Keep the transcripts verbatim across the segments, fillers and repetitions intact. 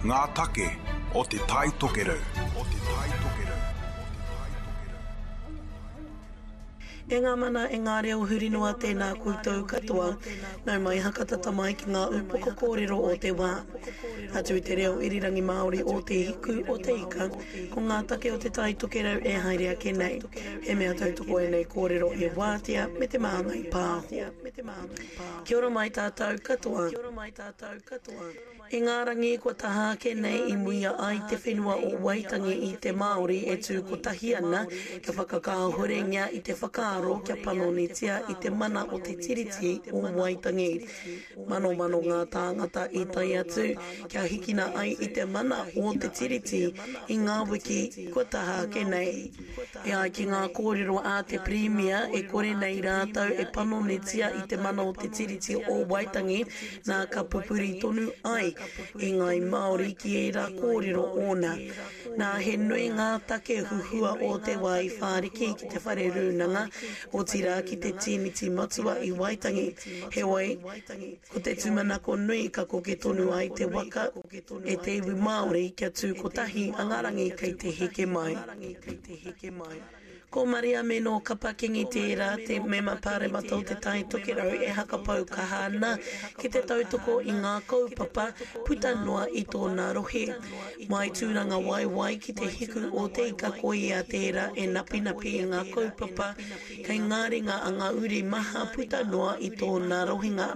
Ngā take o Te Tai Tokerau. O Te Tai Tokerau. E ngā mana, e ngā reo huri noa tēnā koutou katoa. Nau mai hakatata mai ki ngā upoko kōrero o te wā. Atu i te reo irirangi Māori o Te Hiku o Te Ika, ko ngā take o Te Tai Tokerau e haere ake nei. He mea tautoko ēnei kōrero e Wātea me Te Māngai Pāho. Kia ora mai tātou katoa. I ngā rangi kua taha ake nei i muia ai te whenua o Waitangi i te Māori e tū kotahi ana kia whakakāhorengia i te whakaaro kia panonitia i te mana o te Tiriti o Waitangi. Manomano ngā tāngata i tae atu kia hikina ai i te mana o te Tiriti i ngā wiki kua taha ake nei. E ai ki ngā kōrero a te Pirimia e kore nei rātou e panonitia i te mana o te Tiriti o Waitangi, nā ka pupuri tonu ai i ngāi Māori ki ērā kōrero ōna. Nā, he nui ngā take huhua o te wā i whāriki ki te whare rūnanga, otirā ki te tīmiti matua i Waitangi. Heoi, ko te tūmanako nui ka koke tonu ai te waka e te iwi Māori kia tū kotahi a ngā rangi kei te heke mai. Ko Mariame nō Kapa Kingi tērā, te mema pāremata o Te Tai Tokerau e hakapau kaha ana ki te tautoko i ngā kaupapa puta noa i tōna rohe. Mai Tūrangawaewae ki te hiku o te ika ko ia tērā e napinapi i ngā kaupapa kei ngā ringa a ngā uri maha puta noa i tōna rohenga.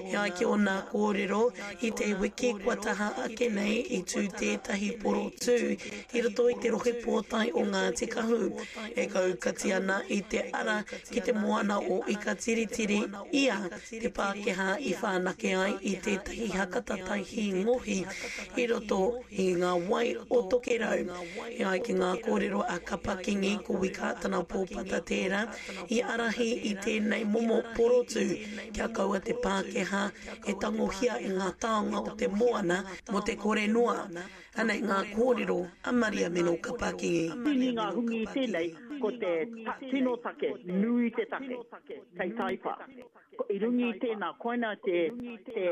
E ai ki ōna kōrero, i te wiki kua taha ake nei i tū tētahi porotū i roto i te rohe pōtae o Ngāti Kahu, e kaukati ana i te ara ki te moana o Ikatiritiri ia te Pākehā i whanake ai i tētahi hakatatai hī ngohi i roto i ngā wai o Tokerau. E ai ki ngā kōrero a Kapa Kingi, ko Wi Kātana Pōpata tērā i ārahi i tēnei momo porotū kia kaua te Pākehā e tangohia i ngā taonga o te moana mō te kore noa. Anei ngā kōrero a Maria Meno Kapakingi. Tini ngā hungi i tēnei, ko te tino take, nui te take, kei taipa. I runga i tēnā, koina te, te,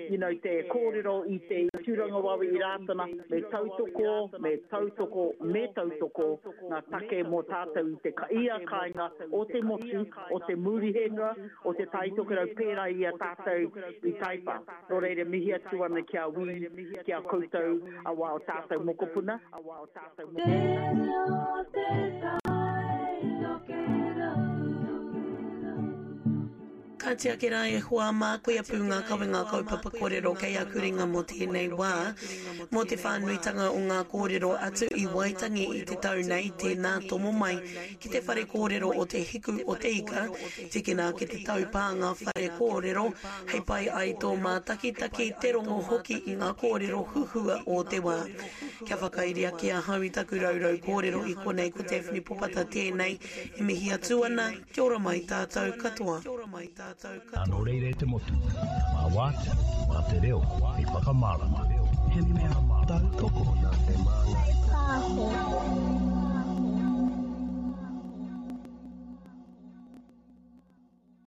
you know, te kōrero i te Tūrangawawe i Rātana, me tautoko, me tautoko, me tautoko ngā take mō tātou i te ia kāinga o te motu, o te Murihenua, o te Tai Tokerau pērā i a tātou i Taipa. Nō reira, mihi atu ana ki a Wī, ki a koutou, a wā o tātou mokopuna. Ka tiaki rā e hoa mā, koia pū ngā kawenga kaupapa kōrero kei aku ringa mō tēnei wā. Mō te whānuitanga o ngā kōrero atu i Waitangi i te tau nei, tēnā tomo mai ki te whare kōrero o Te Hiku o Te Ika, tikina ki te taupānga whare kōrero, hei pai ai tō mātakitaki, te rongo hoki i ngā kōrero huhua o te wā. Kia whakairi ake ahau i taku raurau kōrero i konei ko Daphne Popata tēnei e mihi atu ana, kia ora mai tātou katoa. Nō reira e te motu, mā Wātea, mā te reo hei whakamārama. He mea tautoko. Te Pāho.